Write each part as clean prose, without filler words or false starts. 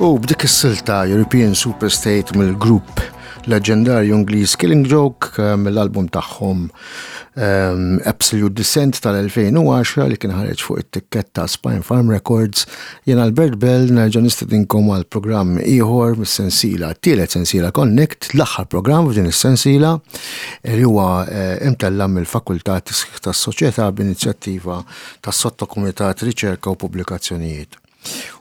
U b'dik is-silta European Superstate mill-grupp leġendarju Ingliż Killing Joke eh, mill-album tagħhom ehm, Absolute Descent tal-2010 li kien ħareġ fuq it-tikketta Spine Farm Records. Jien Albert Bell nerġa' nistedinkom għal programm ieħor mis-sensiela, tielet sensiela Connect, l-aħħar programm f'din is-sensiela li huwa eh, imtella mill-Fakultà Tisħiħ tas-Soċjetà b'inizjattiva tas-Sottokumitat Riċerka u Pubblikazzjonijiet.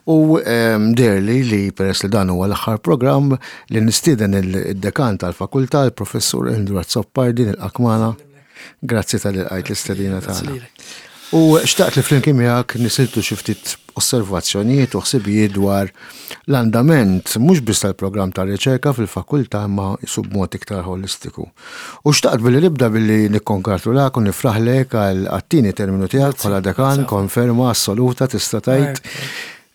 U ehm, deherli li peress li dan huwa l-aħħar programm li nistieden il-dekan tal-fakultà, il-professur Andrew Azzopardi nilqak magħna. Grazzi tal lqajt l-istedina tagħna. U xtaqt li flimkien miegħek nisiltu xi ftit osservazzjonijiet u ħsibijiet dwar l-andament mhux biss tal-programm ta' riċerka fil-fakultà imma jisu b'mod iktar holistiku. U xtaqt billi nibda billi nikkonkratulak u nifraħlek għal għat-tieni terminu tiegħek bħala dekan, konferma assoluta tista' tgħid.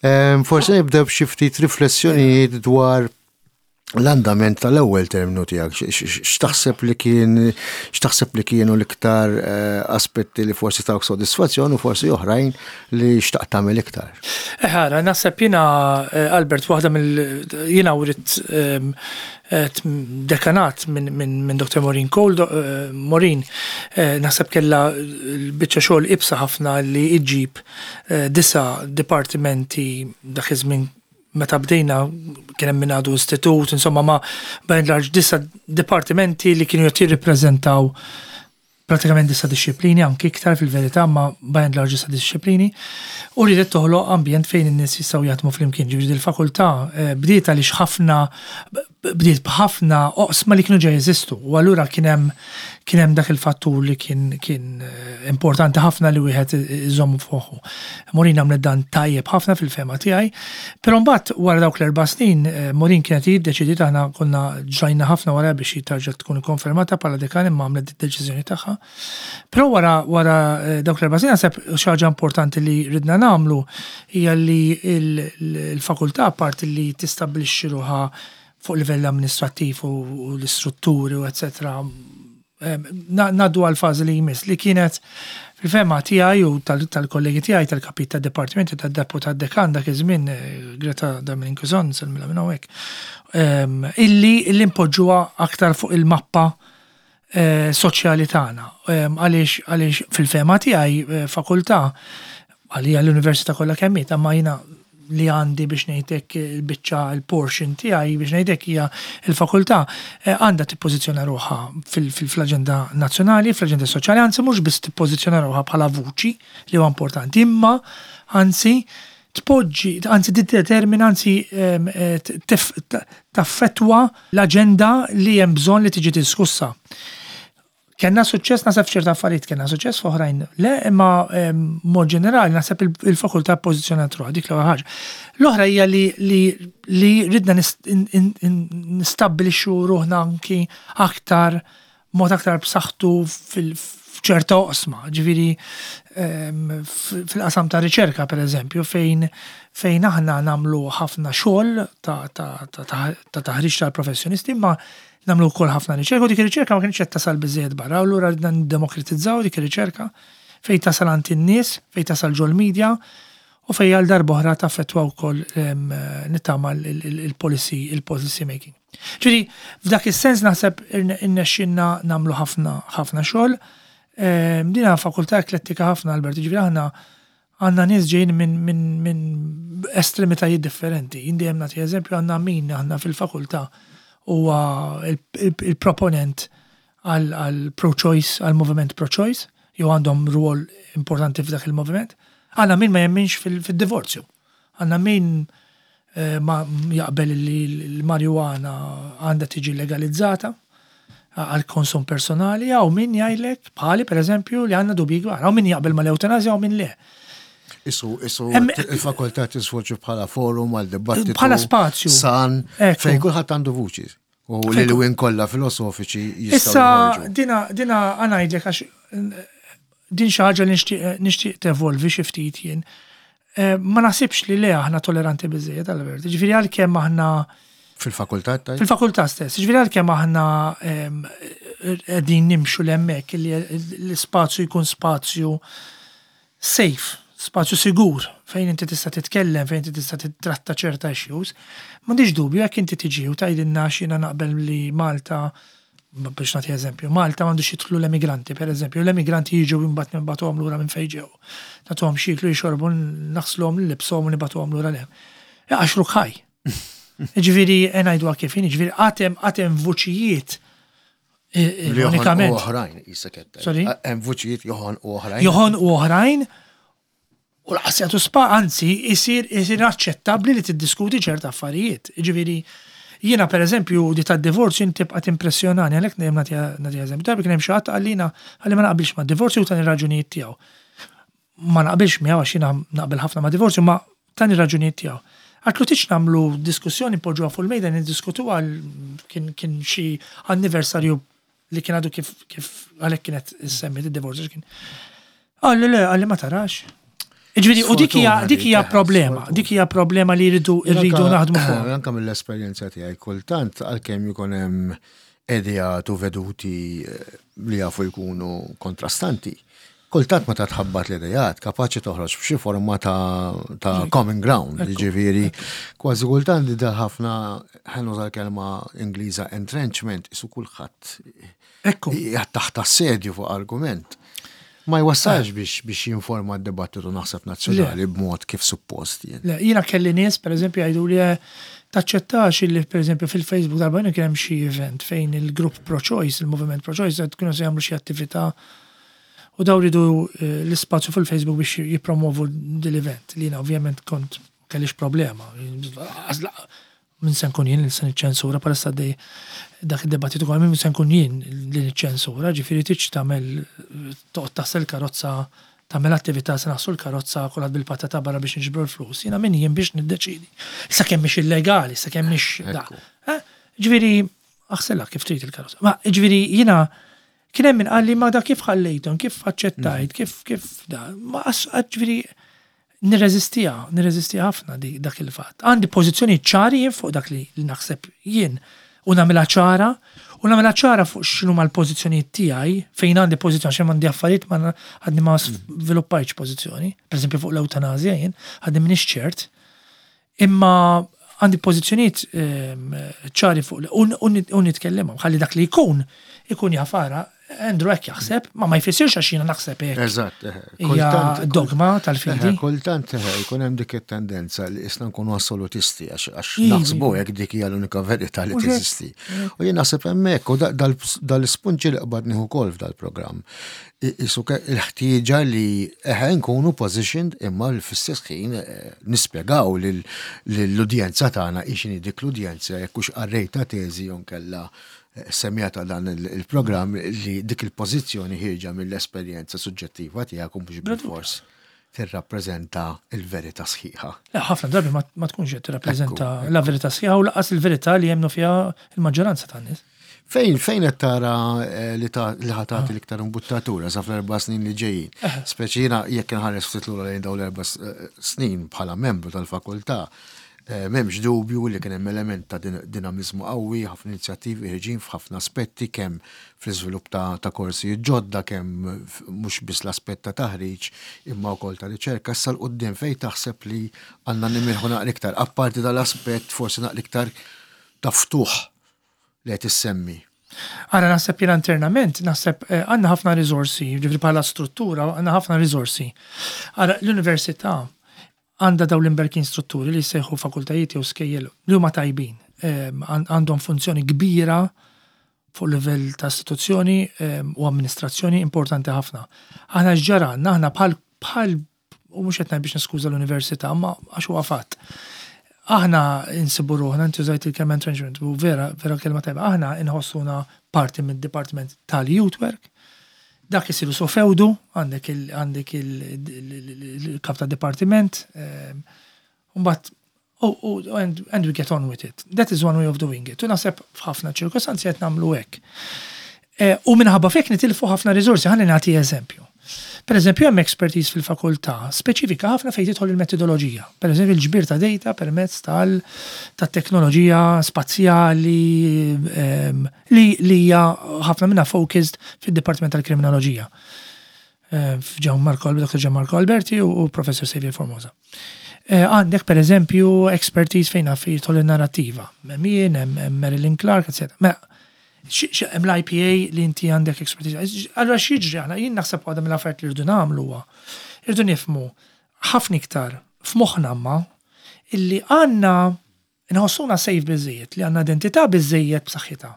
Ehm, forsi nibda b'xi ftit riflessjonijiet dwar l-andament tal-ewwel terminu tiegħek, x'taħseb li kien x'taħseb li kienu l-iktar eh, aspetti li forsi tawk sodisfazzjon u forsi oħrajn li xtaqt tagħmel iktar. Eħara, eh, naħseb jiena eh, Albert waħda mill jiena wrid ehm, dekanat minn Dr. Maureen Cole, Maureen naħseb kellha l-biċċa xogħol ibsa ħafna li iġġib disa dipartimenti dak iż-żmien meta bdejna kien hemm min għadu istitut, insomma ma by and large disa dipartimenti li kienu qed jirrippreżentaw pratikament disa disċiplini, anki iktar fil-verità, ma by and large disa disċiplini, u ridet toħloq ambjent fejn in-nies jistgħu jaħdmu flimkien. Ġifieri il-fakultà eh, bdiet għaliex ħafna bdiet b'ħafna oqsma li kienu ġa jeżistu u allura kien hemm kien hemm dak il-fattur li kien kien eh, importanti ħafna li wieħed iżommu f'moħħu. Maureen għamlet dan tajjeb ħafna fil-fehma tiegħi, però mbagħad wara dawk l-erba' snin eh, Maureen kienet hi ddeċidiet aħna konna ġrajna ħafna wara biex hi tarġa' tkun ikkonfermata bħala dekan imma għamlet id-deċiżjoni tagħha. Però wara wara eh, dawk l-erba' snin naħseb xi ħaġa importanti li ridna nagħmlu hija li l-fakultà apparti li tistabbilixxi ruħha fuq livell amministrattiv u l-istrutturi u eċetera ngħaddu għal fażi li jmiss li kienet fil-fehma tiegħi u tal-kollegi tiegħi tal-kapit tad-dipartimenti tad-deputat dekan dak iż-żmien eh, Greta Darmanin Kuzon nsellmilha minn hawnhekk ehm, illi illi npoġġuha aktar fuq il-mappa eh, soċjali tagħna. Ehm, għaliex għaliex fil-fehma tiegħi eh, fakultà għalija l-università kollha kemm hi, ma jiena li għandi biex ngħidlek il-biċċa il-portion tiegħi biex ngħidlek hija l-fakultà eh, għandha tippożizzjona ruħha fil-aġenda nazzjonali, fl-aġenda soċjali, anzi mhux biss tippożizzjona ruħha bħala vuċi li huwa importanti, imma anzi tpoġġi, anzi tiddetermina, anzi ehm, eh, taffettwa l-aġenda li hemm bżonn li tiġi diskussa. Kenna suċċess naħseb f'ċerta affarijiet kenna suċċess f'oħrajn le, imma ehm, mod ġenerali naħseb il-fakultà pożizzjonat ruħha dik l-ewwel ħaġa. L-oħra hija li li ridna nistabbilixxu ruħna anki aktar mod aktar b'saħħtu f'ċerta oqsma, ġifieri ehm, fil-qasam ta' riċerka pereżempju fejn fejn aħna nagħmlu ħafna xogħol ta' taħriġ tal-professjonisti imma Nagħmlu wkoll ħafna riċerka u dik ir-riċerka ma kienx qed tasal biżejjed barra, u allura ridna niddemokratizzaw dik ir-riċerka fejn tasal għand in-nies, fejn tasal ġol-media u fejn għal darb'oħra taffettwa wkoll ehm, nittama il-policy il-policy making. Ġifieri f'dak is-sens naħseb irnexxinna nagħmlu ħafna ħafna xogħol. Ehm, din fakultà eklettika ħafna Albert, ġifieri aħna Għandna nies ġejjin minn min, min estremitajiet differenti. Jien dejjem nagħti eżempju għandna min aħna fil-fakultà huwa il-proponent għal pro-choice, għal moviment pro-choice, jew għandhom rwol importanti f'dak il-moviment. Għandna min ma jemminx fil-divorzju. Għandna min eh, ma jaqbel li l-marijuana għandha tiġi legalizzata għal konsum personali, għaw min jgħidlek, bħali per eżempju, li għandna dubji kbar, għaw min jaqbel mal-eutanazja għaw min le. Isu, isu, il-fakultà tisfoġġi bħala forum għal dibattitu. Bħala spazju. San, fejn kulħadd għandu vuċi. U li l-win kollha filosofiċi jistgħu. Issa, dina, dina għanajdlek għax din xi ħaġa li nixtieq tevolvi xi ftit jien. Eh, ma naħsibx li le aħna toleranti biżejjed għal-vert. Ġifieri għalkemm aħna Fil-fakultà tajt? Fil-fakultà stess. Ġifieri għalkemm aħna ehm, qegħdin nimxu l-hemmhekk li l-ispazju jkun spazju safe. Spazju sigur fejn inti tista' titkellem, fejn inti tista' titratta ċerta issues. M'għandix dubju jekk inti tiġi u tgħidilna x'jiena naqbel li Malta, biex nagħti eżempju, Malta m'għandux jidħlu l-emigranti, per eżempju, l-emigranti jiġu imbagħad nibagħtuhom lura minn fejn ġew. Nagħtuhom x'jieklu jixorbu, naħsluhom, nlibbsuhom u nibagħtuhom lura 'l hemm. Iqaxxruk ħaj. Ġifieri ngħiduha kif inhi, ġifieri għad hemm għad hemm vuċijiet Ironikament. Oħrajn, jisek Sorry? Hemm vuċijiet joħon u oħrajn. Joħon u oħrajn. U laqas jagħtu spa, anzi, isir isir aċċettabbli li tiddiskuti ċerta affarijiet. Ġifieri, jiena per eżempju di tad-divorzju inti tibqa' timpressjonani għalhekk dejjem nagħti eżempju. Darba kien hemm xi ħadd qalli qalli ma naqbilx mad-divorzju u tani raġunijiet tiegħu. Ma naqbilx miegħu għax jiena naqbel ħafna ma' divorzju, ma tani raġunijiet tiegħu. Għatlu tiġ nagħmlu diskussjoni poġġuha fuq il-mejda niddiskutuha kien kien xi anniversarju li kien għadu kif kif għalhekk kienet semmit id-divorzju kien. Qalli le, qalli ma tarax. Ġifieri, u dik hija dik hija problema, dik hija problema li jridu rridu naħdmu fuq. Anka mill-esperjenza tiegħi kultant għalkemm jkun hemm ideat u veduti eh, li jafu jkunu kontrastanti. Kultant meta tħabbat l-idejat, kapaċi toħroġ b'xi forma ta', ta common ground, jiġifieri kważi kultant li ħafna ħa nuża l-kelma Ingliża entrenchment, isu kulħadd Ekku. taħt assedju fuq argument. Ma jwassalx biex biex jinforma d-dibattitu naħseb nazzjonali b'mod kif suppost jien. Le, jiena kelli nies, per eżempju, jgħidu li eh, taċċettax illi per eżempju fil-Facebook darba kien hemm xi event fejn il-grupp pro-choice, il-moviment pro-choice, qed kienu se jagħmlu xi attività u daw ridu eh, l-ispazju fil-Facebook biex jippromovu dil-event li jiena ovvjament kont kellix problema. Min se nkun jien li se niċċensura palissa dej dak id-debattitu kol min se nkun jien li niċċensura, ġifieri tiġ tagħmel toqgħod taħsel karozza tagħmel attività se naħslu l-karozza kulħadd bil-patata barra biex niġbru l-flus. Jiena min jien biex niddeċidi. Sakemm mhix illegali, sakemm mhix da. Eh? Ġifieri aħselha kif trid il-karozza. Ma ġifieri jiena kien hemm min qalli ma da kif ħallejthom, kif aċċettajt, kif kif da. Ma ġifieri nirreżistiha, nirreżistiha ħafna dak il-fatt. Għandi pożizzjoni ċari jien fuq dak li naħseb jien u nagħmilha ċara u nagħmilha ċara fuq x'inhu mal-pożizzjonijiet tiegħi fejn għandi pożizzjoni għax għandi affarijiet ma għadni ma żviluppajtx pożizzjoni. Per eżempju fuq l-eutanazja jien għadni m'iniex ċert. Imma għandi pożizzjonijiet ehm, ċari fuq u nitkellimhom ħalli dak li jkun ikun jafara Andrew hekk jaħseb, ma ma jfissirx għax jiena naħseb hekk. Eżatt, Hija dogma tal-fidi. Kultant jkun hemm dik it-tendenza li isna nkunu assolutisti għax naħsbu hekk dik hija l-unika verità li teżisti. U jien naħseb hemmhekk u dal-ispunġi li qbadni ukoll f'dal-programm. Isu il-ħtieġa li eħe nkunu positioned imma fl-istess ħin eh, nispjegaw lill-udjenza tagħna x'inhi dik l-udjenza jekk hux qarrejta teżi jew nkella eh, semjata dan il-programm li dik il-pożizzjoni ħierġa mill-esperjenza suġġettiva tiegħek u mhux bil-fors tirrappreżenta il-verità sħiħa. Ħafna drabi ma tkunx qed tirrappreżenta la verità sħiħa u laqas il-verità li jemmnu fiha il-maġġoranza tan-nies. Fejn fejn qed tara eh, li ta' li ħatati l-iktar imbuttatura sa fl-erba' snin li ġejjin? Eh. Speċi jiena jekk inħares ftit lura lejn dawn l-erba' eh, snin bħala membru tal-fakultà, m'hemmx dubju li kien hemm element ta' dinamiżmu qawwi, ħafna inizjattivi ħirġin f'ħafna aspetti kemm fl-iżvilupp ta', ta korsijiet ġodda, kemm mhux biss l-aspett ta' taħriġ imma wkoll ta' riċerka. Issa l-qudiem fejn taħseb li għandna nimirħu naqra iktar, apparti dal-aspett forsi naqra iktar ta' ftuħ li qed issemmi? Ara naħseb jiena internament, naħseb eh, għandna ħafna riżorsi, ġifieri bħala struttura għandna ħafna riżorsi. Ara l-università għandha dawn l-imberkin strutturi li jsejħu fakultajiet jew skejjel li huma tajbin. Eh, għandhom funzjoni kbira fuq livell ta' istituzzjoni eh, u amministrazzjoni importanti ħafna. Aħna x'ġara aħna bħal bħal u mhux qed ngħid biex niskuża l-università, ma għax huwa fatt. Aħna insibu ruħna, inti użajt il-kelma entrenchment, u vera, vera kelma tajba, aħna inħossuna parti mid-dipartiment tal-youth work, dak isiru so fewdu, għandek għandek il-kap ta' dipartiment, mbagħad oh, and, and we get on with it. That is one way of doing it. U naħseb f'ħafna ċirkostanzi qed nagħmlu hekk. Eh, u minħabba fek nitilfu ħafna riżorsi, ħalli nagħti eżempju. Per eżempju, hemm expertise fil-fakultà speċifika ħafna fejn tidħol il-metodoloġija. Per eżempju, il-ġbir ta' data permezz tal-teknoloġija spazjali ehm, li hija ħafna minnha focused fid-Dipartiment tal-Kriminoloġija. f'Gianmarco Dr. Gianmarco Alberti u Professor Xavier Formosa. Għandek per eżempju expertise fejn jidħol in-narrattiva. Hemm jien, hemm Marilyn Clark, etc. Mela, hemm l-IPA li inti għandek expertise. Allura x'jiġri aħna jien naħseb waħda mill-affarijiet li rridu nagħmlu huwa irridu nifhmu ħafna iktar f'moħħna ma illi għandna nħossuna safe biżejjed, li għandna identità biżejjed b'saħħitha.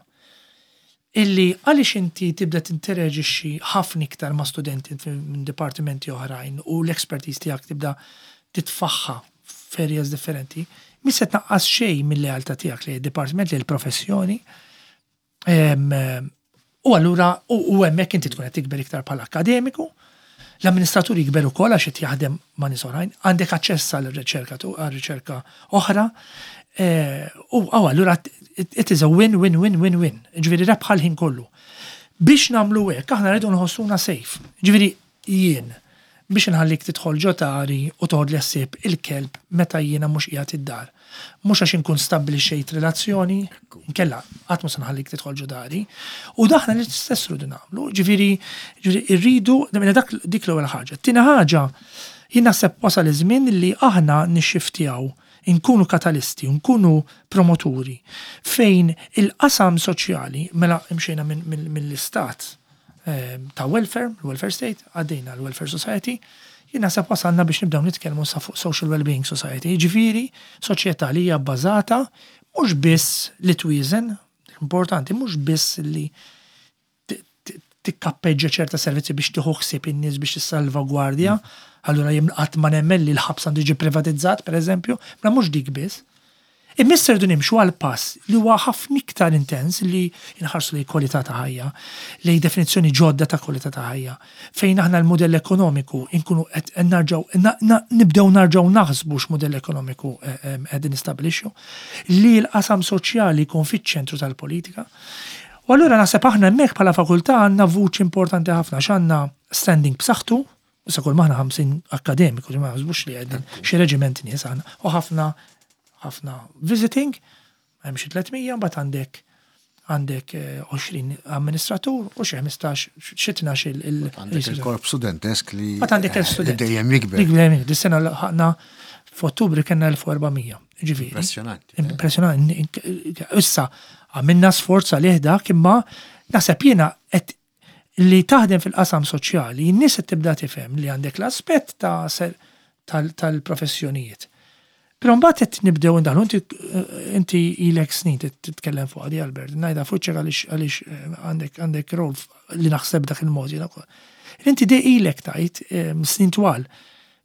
Illi għaliex inti tibda tinteraġixxi ħafna iktar ma' studenti minn dipartimenti oħrajn u l-expertise tiegħek tibda titfaħħa f'areas differenti, mhix se tnaqqas xejn mill-lealtà tiegħek li d-dipartiment li l-professjoni. U allura u hemmhekk inti tkun qed tikber iktar bħala akademiku, l-amministratur jikber ukoll għax qed jaħdem ma' nies oħrajn, għandek aċċess għal għal riċerka oħra, u allura it is a win, win, win, win, win. Ġifieri rebħa l-ħin kollu. Biex nagħmlu hekk, aħna rridu nħossuna safe. Ġifieri jien biex nħallik tidħol ġo dari u toħodli ħsieb il-kelb meta jiena mhux qiegħed id-dar. Mhux għax inkun stabbilixxejt relazzjoni, nkella qatt mhux se nħallik tidħol ġo dari. U daħna li stess rridu nagħmlu, ġifieri rridu dak dik l-ewwel ħaġa. Tieni ħaġa, jien naħseb wasal iż-żmien li aħna nixxiftjaw inkunu katalisti, nkunu promoturi fejn il-qasam soċjali, mela imxejna mill-istat ta' welfare, welfare state, għaddejna l-welfare society, jien naħseb wasalna biex nibdew nitkellmu sa fuq social well-being society, ġifieri soċjetà li hija bbażata mhux biss li twieżen, importanti, mhux biss li tikkappeġġa ċerta servizzi biex tieħu ħsieb in-nies biex tissalvagwardja, allura jien qatt ma nemmen li l-ħabs għandu jiġi privatizzat, per eżempju, ma mhux dik biss. Imma rridu nimxu għal pass li huwa ħafna iktar intens li nħarsu li kwalità ta' ħajja, li definizzjoni ġodda ta' kwalità ta' ħajja, fejn aħna l-modell ekonomiku inkunu qed narġgħu nibdew narġgħu naħsbu x'modell ekonomiku qegħdin nistabbilixxu, li l-qasam soċjali jkun fiċ-ċentru tal-politika. U allura naħseb aħna hemmhekk bħala fakultà għandna vuċi importanti ħafna x'għandna standing b'saħħtu, issa kull maħna 50 akademiku, ma naħsbux li qegħdin xi reġiment nies aħna, u ħafna ħafna visiting, hemm xi 300, mbagħad għandek 20 amministratur u xi 15 xi 12 il Għandek il-korp studentesk li Mbagħad għandek il-student. Dejjem jikber. Dejjem jikber. Dis-sena ħaqna f'Ottubru kellna 1400. Ġifieri. Impressjonanti. Impressjonanti. Issa għamilna sforz għalih dak imma naħseb jiena qed li taħdem fil-qasam soċjali, n-nies qed tibda tifhem li għandek l-aspett ta' tal-professjonijiet. Però mbagħad qed nibdew indaħlu inti ilek snin titkellem fuq għadi Albert, ngħidha fuq għaliex għandek rol li naħseb dak il-mod jiena wkoll. Inti dej ilek tajt snin twal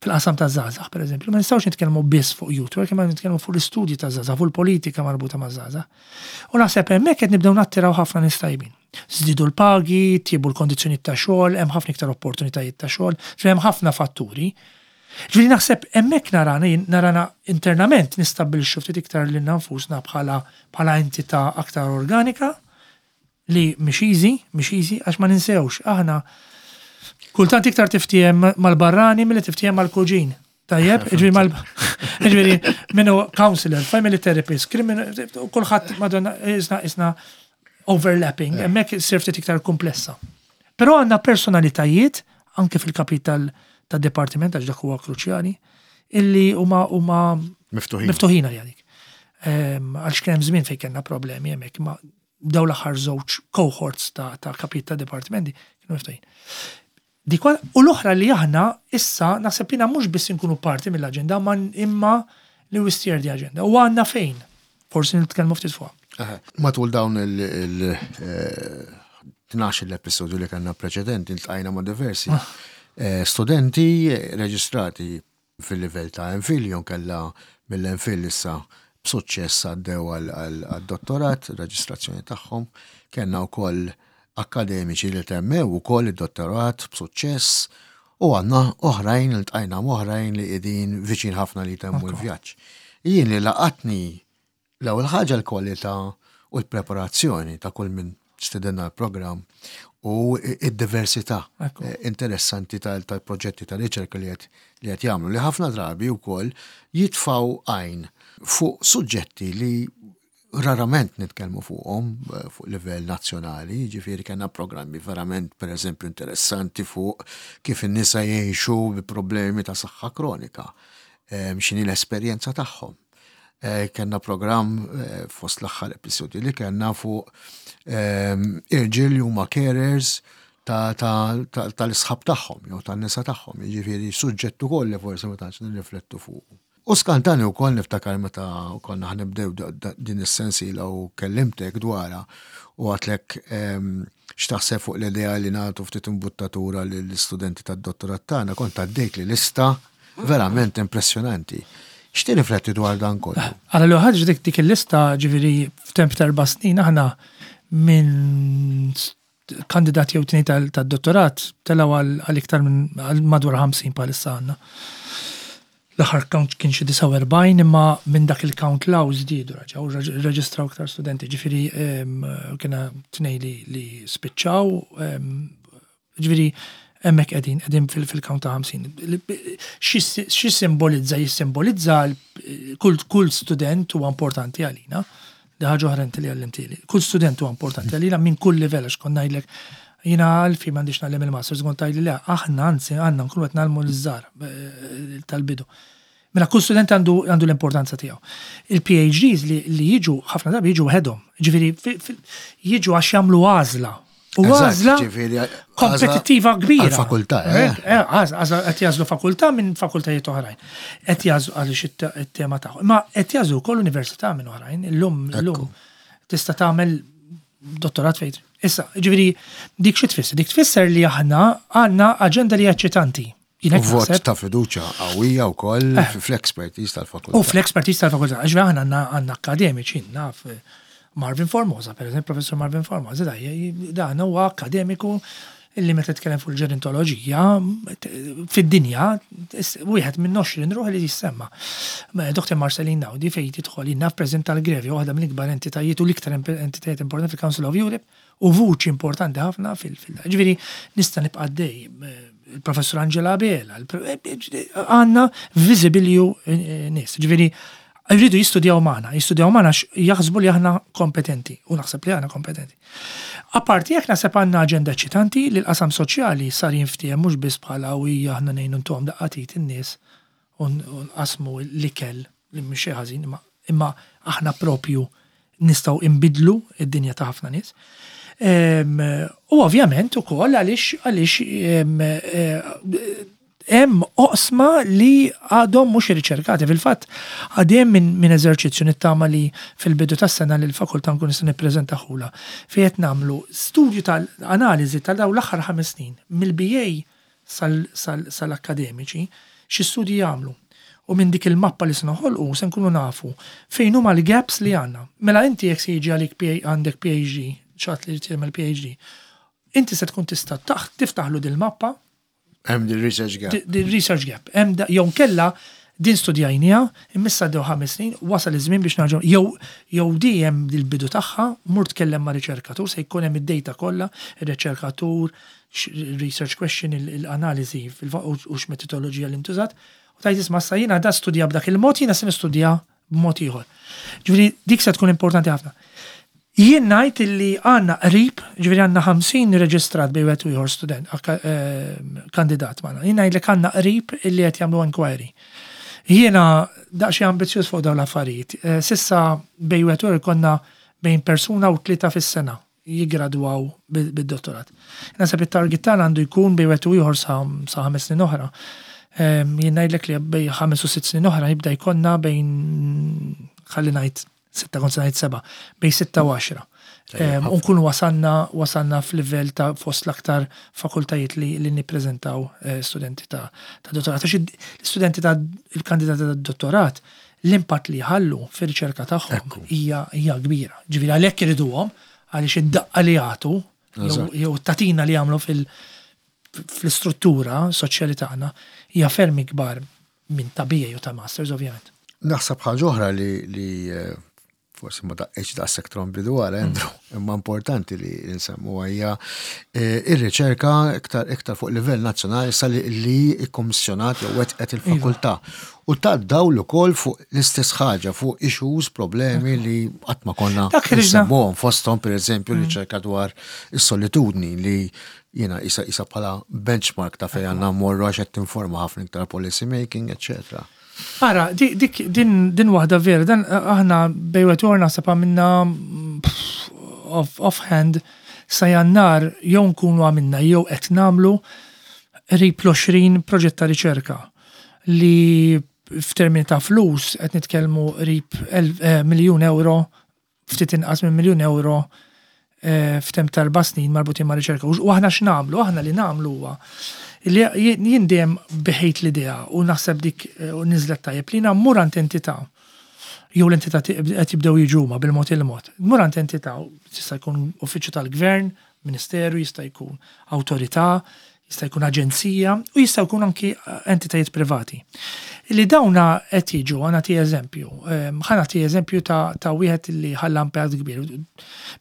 fil-qasam ta' żgħażagħ, per eżempju, ma nistgħux nitkellmu biss fuq youth work, imma nitkellmu fuq l-istudji ta' żgħażagħ, fuq il-politika marbuta ma' żgħażagħ. U naħseb hemmhekk qed nibdew nattiraw ħafna nies tajbin. Żdiedu l-pagi, tjiebu l-kondizzjonijiet ta' xogħol, hemm ħafna iktar opportunitajiet ta' xogħol, hemm ħafna fatturi. Ġifieri naħseb hemmhekk narana internament nistabbilixxu ftit iktar lilna nfusna bħala entità aktar organika li mhix easy, mhix easy, għax ma ninsewx, aħna kultant iktar tiftiehem mal-barrani milli tiftiehem mal-kuġin. Tajjeb, ġifieri mal ġifieri minnu counselor, family therapist, criminal, kulħadd madonna isna overlapping, hemmhekk issir ftit iktar komplessa. Però għandna personalitajiet anke fil-kapital ta' departiment għax dak huwa kruċjali, illi huma miftuħin. Miftuħin għal dik. Għalx kien hemm żmien fejn kellna problemi hemmhekk, ma daw l-aħħar żewġ cohorts ta' kapit ta' departimenti kienu miftuħin. Dik u l-oħra li aħna issa naħseb jiena mhux biss inkunu parti mill-aġenda, ma imma li we steer the agenda. U għandna fejn, forsi nitkellmu ftit fuqha. Matul dawn il-12 l-episodju li kellna preċedenti, iltqajna ma' diversi studenti reġistrati fil-livell ta' MPhil, jew kella mill-MPhil issa b'suċċess għaddew għal-dottorat, reġistrazzjoni tagħhom. Kellna wkoll akademiċi li temmew ukoll id-dottorat b'suċċess u għandna oħrajn, iltqajna oħrajn li qegħdin viċin ħafna li temmu l-vjaġġ. Jien li laqatni l-ewwel ħaġa l-kwalità u l-preparazzjoni ta' kull min stedinna l-programm u id-diversità interessanti tal-proġetti ta' riċerka li qed jagħmlu li ħafna drabi wkoll jitfaw għajn fuq suġġetti li rarament nitkellmu fuqhom fuq livell nazzjonali, jiġifieri kellna programmi verament pereżempju interessanti fuq kif in-nisa jgħixu bi problemi ta' saħħa kronika, x'inhi l-esperjenza tagħhom. Kellna programm fost l-aħħar episodji li kellna fuq irġiel li huma carers tal-isħab tagħhom jew tan-nisa tagħhom, jiġifieri suġġett ukoll li forsi ma tantx nirriflettu fuqu. U skantani wkoll niftakar meta konna ħa nibdew din is-sensiela u kellimtek dwarha u għedtlek x'taħseb fuq l-idea li nagħtu ftit imbuttatura lill-istudenti tad-dottorat tagħna, kont għaddejt li lista verament impressjonanti. X'tirrifletti dwar dan kollu? Għala l ħaġa dik dik il-lista ġifieri f'temp ta' 4 snin aħna minn kandidat jew tnejn tad-dottorat telgħu għal iktar minn għal madwar 50 bħalissa għandna. L-aħħar count kien xi 49 imma minn dak il-count law żdiedu raġgħu rreġistraw iktar studenti, ġifieri kiena tnej li spiċċaw, ġifieri hemmhekk qegħdin, qegħdin fil-count ta' 50. Xi simbolizza? Jissimbolizza kull student huwa importanti għalina. Di ħaġa oħra inti li għallimtili. Kull student huwa importanti għalina minn kull livell għax kont ngħidlek jiena għalfi m'għandix ngħallem il-masters, kont tgħidli le, aħna anzi għandna nkunu qed ngħallmu l-żgħar tal-bidu. Mela kull student għandu l-importanza tiegħu. Il-PhDs li jiġu ħafna drabi jiġu waħedhom. Ġifieri jiġu għax jagħmlu għażla. U għażla kompetittiva kbira. Fakultà, eh? Għażla qed jażlu fakultà minn fakultajiet oħrajn. Qed jażlu għaliex it-tema tagħhom. Ma qed jażlu wkoll università minn oħrajn. Illum illum tista' tagħmel dottorat fejn. Issa, ġifieri dik xi tfisser? Dik tfisser li aħna għandna aġenda li eċċitanti. Vot ta' fiduċa qawwija wkoll fl-expertise tal-fakultà. U fl-expertise tal-fakultà, għax aħna għandna akademiċi, naf Marvin Formosa, per eżempju, professor Marvin Formosa, dan huwa akademiku illi meta tkellem fuq il-ġerontoloġija fid-dinja, wieħed minn 20 ruħ li jissemma. Dr. Marceline Naudi fejn tidħol naf president tal-Grevio, waħda mill-ikbar entitajiet u l-iktar entitajiet importanti fil-Council of Europe, u vuċi importanti ħafna fil- Ġifieri nista' nibqa' dej il-professor Angela Abela, għandna visibilju nies. Ġifieri rridu jistudjaw magħna, jistudjaw magħna jaħsbu li aħna kompetenti u naħseb li aħna kompetenti. Apparti jekk naħseb għandna aġenda eċitanti li l-qasam soċjali sar jinftiehem mhux biss bħala u hija aħna ngħinu ntuhom daqqatit in-nies u nqasmu l-ikel li mhux xi ħażin, imma aħna propju nistgħu imbidlu id-dinja ta' ħafna nies. U ovvjament ukoll għaliex għaliex hemm oqsma li għadhom mhux irriċerkati. Fil-fatt għadhem minn eżerċizzju nittama li fil-bidu tas-sena li l-fakultà nkun nista' nippreżentahula fejn qed nagħmlu studju tal-analiżi tal dawn l-aħħar 5 snin mill-BA sal-akkademiċi xi studji jagħmlu. U minn dik il-mappa li se noħolqu se nkunu nafu fejn huma l-gaps li għandna. Mela inti jekk se jiġi għalik għandek PhD, ċat li tagħmel PhD, inti se tkun tista' tiftaħlu dil-mappa. Hemm di research gap. Di research gap. Hemm jew kella din studjajnija, immissa dew 5 snin, wasal iż-żmien biex narġgħu jew di hemm il-bidu tagħha, mur tkellem ma' riċerkatur, se jkun hemm id-data kollha, ir-riċerkatur, research question, l-analiżi u x'metodoloġija li ntużat. U tajt isma' sa jiena da studja b'dak il-mod, jiena se nistudja b'mod ieħor. Ġifieri dik se tkun importanti ħafna. Jien ngħid illi għandna qrib, ġifieri għandna 50 reġistrat bejn wieħed u ieħor student, kandidat magħna. Jien ngħidlek għandna qrib illi qed jagħmlu inquiry. Jiena daqsxejn ambizzjuż fuq dawn l-affarijiet. Sissa bejn wieħed u ieħor konna bejn persuna u 3 fis-sena jigradwaw bid-dottorat. Naħseb it-target tagħna għandu jkun bejn wieħed u ieħor sa 5 snin oħra. Jien ngħidlek li bejn 5 u 6 snin oħra jibda jkollna bejn, ħalli ngħid 6, kont se ngħid 7, bejn 6 u 10. U nkunu wasalna f'livell ta' fost l-aktar fakultajiet li nippreżentaw studenti ta' dottorat. Għax l-istudenti ta' il-kandidati ta' dottorat, l-impatt li jħallu fir-riċerka tagħhom hija kbira. Ġifieri għalhekk iriduhom, għaliex id-daqqa li jagħtu jew tatina li jagħmlu fl-istruttura soċjali tagħna hija ferm ikbar minn ta' BA u ta' Masters, ovvjament. Naħseb ħaġa oħra li forsi ma daqqitx daqshekk trombi dwar Andrew, imma importanti li nsemmu hija eh, ir-riċerka iktar iktar fuq livell nazzjonali sa li li kkommissjonat jew wettqet il-fakultà. U ta' dawl ukoll fuq l-istess ħaġa fuq issues, problemi li qatt ma konna Dak li ġna- nsemmuhom fosthom pereżempju riċerka dwar is-solitudni li jiena isa isa bħala benchmark ta' fejn għandna mmorru għax qed tinforma ħafna iktar policy making, eccetera. Ara, dik din din waħda vera, dan aħna bejn wieħed u ieħor naħseb għamilna off, offhand sa jannar jew nkunu għamilna jew qed nagħmlu qrib l-20 proġett ta' riċerka li f'termini ta' flus qed nitkellmu qrib miljun euro ftit inqas minn miljun euro eh, f'temp ta' 4 snin marbutin ma' riċerka. U aħna x'nagħmlu? Aħna li nagħmlu huwa li jien dejjem biħejt l-idea u naħseb dik eh, u niżlet tajjeb li jiena mmur għand entità jew l-entità qed jibdew jiġu huma bil-mod il-mod. Mur għand entità, jista' jkun uffiċċju tal-gvern, ministeru, jista' jkun awtorità, jista' jkun aġenzija u jista' jkun anki entitajiet privati. Li dawna qed jiġu, ħa nagħti eżempju, ħa nagħti eżempju ta', ta wieħed li ħalla impatt kbir.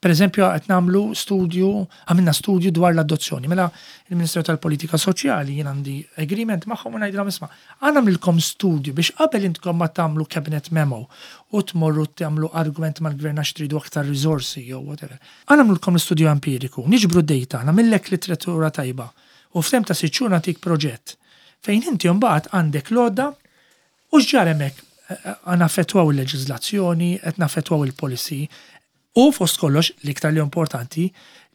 Per eżempju, qed nagħmlu studju, għamilna studju dwar l-adozzjoni. Mela il-Ministeru tal-Politika Soċjali jien għandi agreement magħhom u ngħidilhom isma' ħa nagħmlilkom studju biex qabel intkom ma tagħmlu cabinet memo u tmorru tagħmlu argument mal-gvern għax tridu aktar riżorsi jew whatever. Ħa nagħmlulkom l-istudju empiriku, niġbru d-dejta, nagħmillek literatura tajba u f'temp ta' sitt xhur nagħtik proġett fejn inti mbagħad għandek l-għodda u x'ġara hemmhekk qed naffettwaw il-leġiżlazzjoni, qed naffettwaw il-policy u fost kollox l-iktar li importanti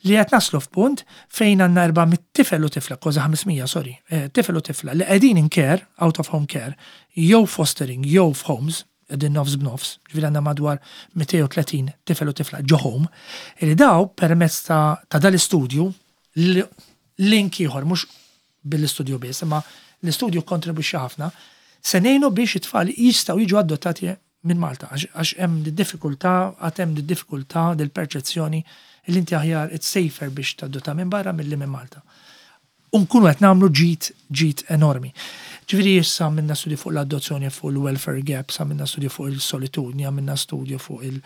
li qed naslu f'punt fejn għandna 400 tifel u tifla, kważi 500 sorry, tifel u tifla li qegħdin in care, out of home care, jew fostering jew f'homes, qegħdin nofs b'nofs, ġifieri għandna madwar 230 tifel u tifla ġo home, li daw permezz ta', ta dal-istudju, link ieħor mhux bil-istudju biss, imma l-istudju kontribwixxa ħafna, se ngħinu biex it-tfal jistgħu jiġu adottati minn Malta, għax hemm diffikultà, għad hemm diffikultà dil-perċezzjoni li inti aħjar it's safer biex tadotta minn barra milli minn Malta. U nkunu qed nagħmlu ġid ġid enormi. Ġifieri issa għamilna studju fuq l-adozzjoni fuq il-welfare gaps, għamilna studju fuq il-solitudni, għamilna studju fuq il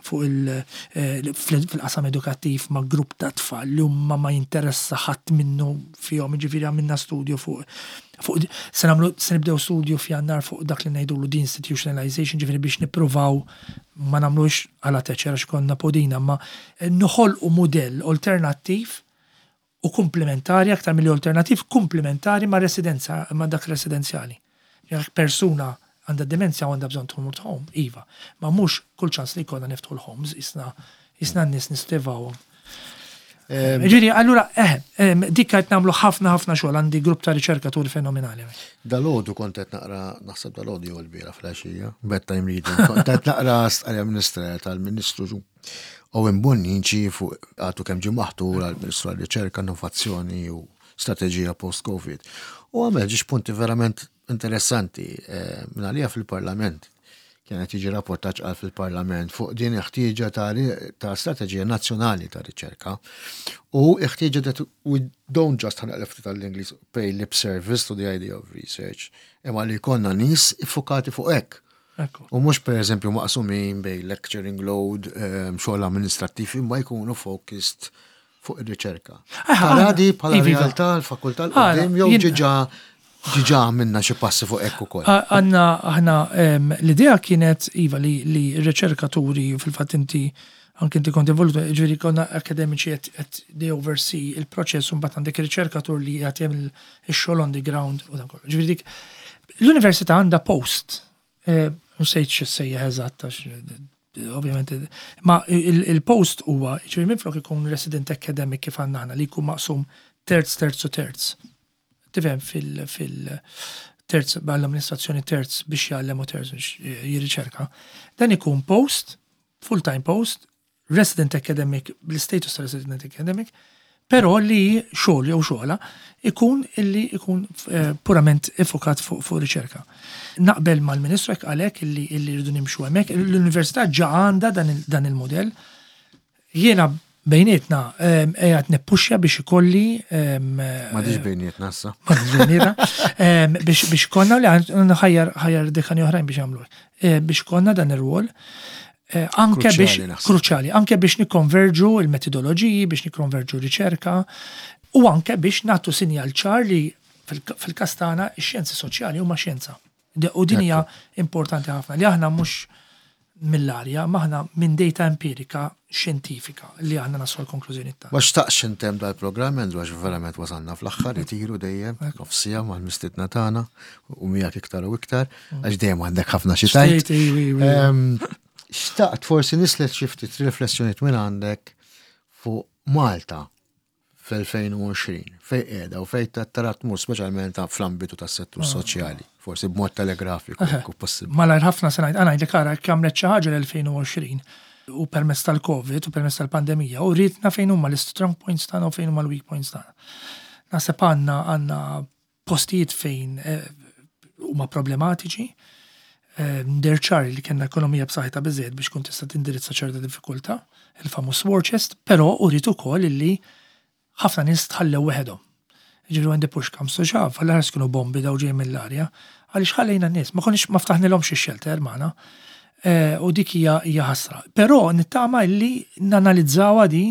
fuq il eh, fil-qasam edukattiv ma' grupp ta' tfal li huma ma jinteressa ħadd minnu fihom, ġifieri għamilna studju fuq fuq se nagħmlu se nibdew studju f'Jannar fuq dak li ngħidulu deinstitutionalization, ġifieri biex nippruvaw ma nagħmlux għala teċer għax konna podina, ma noħolqu mudell alternattiv u komplementari, aktar milli alternattiv, komplementari ma' residenza, ma' dak residenzjali. Jekk persuna għandha demenzja u għandha bżonn tmur home, iva. Ma mhux kull ċans li jkollna niftħu l-homes, isna isna n-nies nistivawhom. Ġifieri, allura, eh, dik qed nagħmlu ħafna ħafna xogħol għandi grupp ta' riċerkaturi fenomenali. Dalgħodu kont qed naqra, naħseb dalgħodu jew il-bieraħ filgħaxija, bedtime reading, kont qed naqra stqarrija ministerjali tal-Ministru Owen Bonnici fuq għadu kemm ġie maħtur għall-Ministru għar-Riċerka, Innovazzjoni u Strateġija Post-Covid. U għamel ġiex punti verament interessanti eh, minn għalija fil-Parlament. Kienet jiġi rapportaġġ għal fil-Parlament fuq din il-ħtieġa ta', ta strateġija nazzjonali ta' riċerka u il-ħtieġa that we don't just ħa naqleb ftit tal-Ingliż pay lip service to the idea of research, imma li jkollna nies iffukati fuq hekk. U mhux pereżempju maqsumin bejn lecturing load, ehm, xogħol amministrattiv, imma jkunu focused fuq ir-riċerka. Tara di bħala iva, iva. realtà l-fakultà l-qudiem jew ġiġa ġiġa għamilna xi passi fuq hekk ukoll. Għandna aħna ehm, l-idea kienet iva li li r-riċerkaturi fil-fatt inti anke inti kont involut, ġifieri konna akademiċi qed they oversee il-proċess u mbagħad għandek riċerkatur li qed jagħmel ix-xogħol on the ground u dan kollu. Ġifieri dik l-università għandha post Nsejt x'issejjaħ eżatt għax ovvjament ma il-post huwa ġifieri minflok ikun resident academic kif għandna aħna li jkun maqsum terz terz u terz. Tifhem fil fil terz għall-amministrazzjoni terz biex jgħallem u terz biex jirriċerka. Dan ikun post, full-time post, resident academic, bl-status ta' resident academic, però li xogħol jew xogħla ikun illi ikun eh, purament iffukat fuq fu riċerka. Naqbel mal-Ministru hekk għalhekk illi illi rridu nimxu hemmhekk, l-Università ġa għandha dan il-modell. Jiena bejnietna qiegħed nippuxja biex ikolli M'għadix bejnietna issa. M'għadix bejnietna. Biex biex konna li ħajjar ħajjar dekani oħrajn biex jagħmlu. Eh, biex konna dan ir-rwol. Eh, anke biex kruċjali, anke biex nikkonverġu il-metodoloġiji, biex nikkonverġu riċerka u anke biex nagħtu sinjal ċar li fil-każ tagħna x-xjenzi soċjali huma xjenza. U din hija importanti ħafna li aħna mhux mill-arja, m'aħna minn data empirika xjentifika li aħna naslu l-konklużjoni tagħna. Ma xtaqx intemm dal-programm, Andrew, għax verament wasalna fl-aħħar, itiru dejjem, nofsija mal-mistidna tagħna u miegħek iktar u iktar, għax dejjem għandek ħafna xi tgħid. Xtaqt forsi nislet xi ftit riflessjonijiet minn għandek fuq Malta fl-2020, fejn qiegħda u fejn tara tmur speċjalment fl-ambitu tas-settur ah. soċjali, forsi b'mod telegrafiku jekk possibbli. Malajr ħafna se ngħid, ngħidlek ara jekk għamlet xi ħaġa l-2020 u permezz tal-Covid u permezz tal-pandemija u ridna fejn huma l-strong points tagħna u fejn huma l-weak points tagħna. Naħseb għandna għandna postijiet fejn eh, huma problematiċi, eh, deher ċar li kellna ekonomija b'saħħitha biżejjed biex kun tista' tindirizza ċerta diffikultà, il-famuż war chest, però uriet ukoll illi ħafna nies tħallew weħedhom. Ġifieri when the push comes to shove, għall kienu bombi daw ġej mill-arja, għaliex ħallejna n-nies, ma konniex ma ftaħnilhomx ix-shelter magħna. Eh, u dik hija hija ħasra. Però nittama illi nanalizzawha di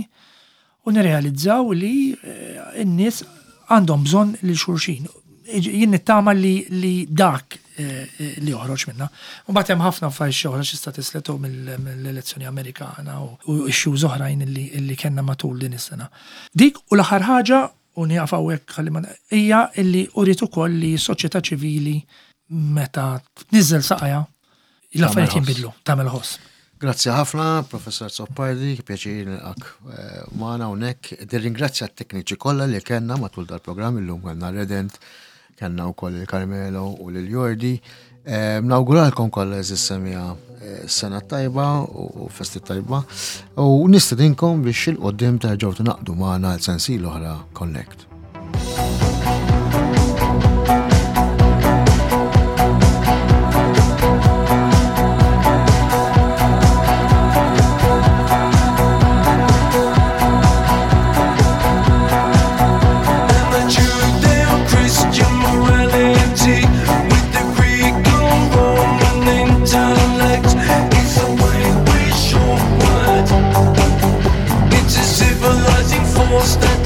u nirrealizzaw li eh, n-nies għandhom bżonn lil xulxin. Jien nittama li, li dak eh, eh, li joħroġ minna. U mbagħad hemm ħafna affarijiet oħra x'tista' tisletu mill-elezzjoni Amerikana u issues oħrajn li, li kellna matul din is-sena. Dik u l-aħħar ħaġa u nieqaf hawnhekk ħalli ma hija illi uriet ukoll li s-soċjetà ċivili meta tniżżel saqajha l-affarijiet jinbidlu, tagħmel ħoss. Grazzi ħafna, Professor Azzopardi, pjaċir nilqak eh, magħna hawnhekk. Nirringrazzja t-tekniċi kollha li kellna matul dal-programm illum kellna Redent, kellna wkoll il-Carmelo u lil Jordi. Eh, nawguralkom kollha eżis semija eh, sena tajba u festi tajba u nistedinkom biex il-qoddim terġgħu tinaqdu magħna għal sensil oħra Connect. It's a civilizing force that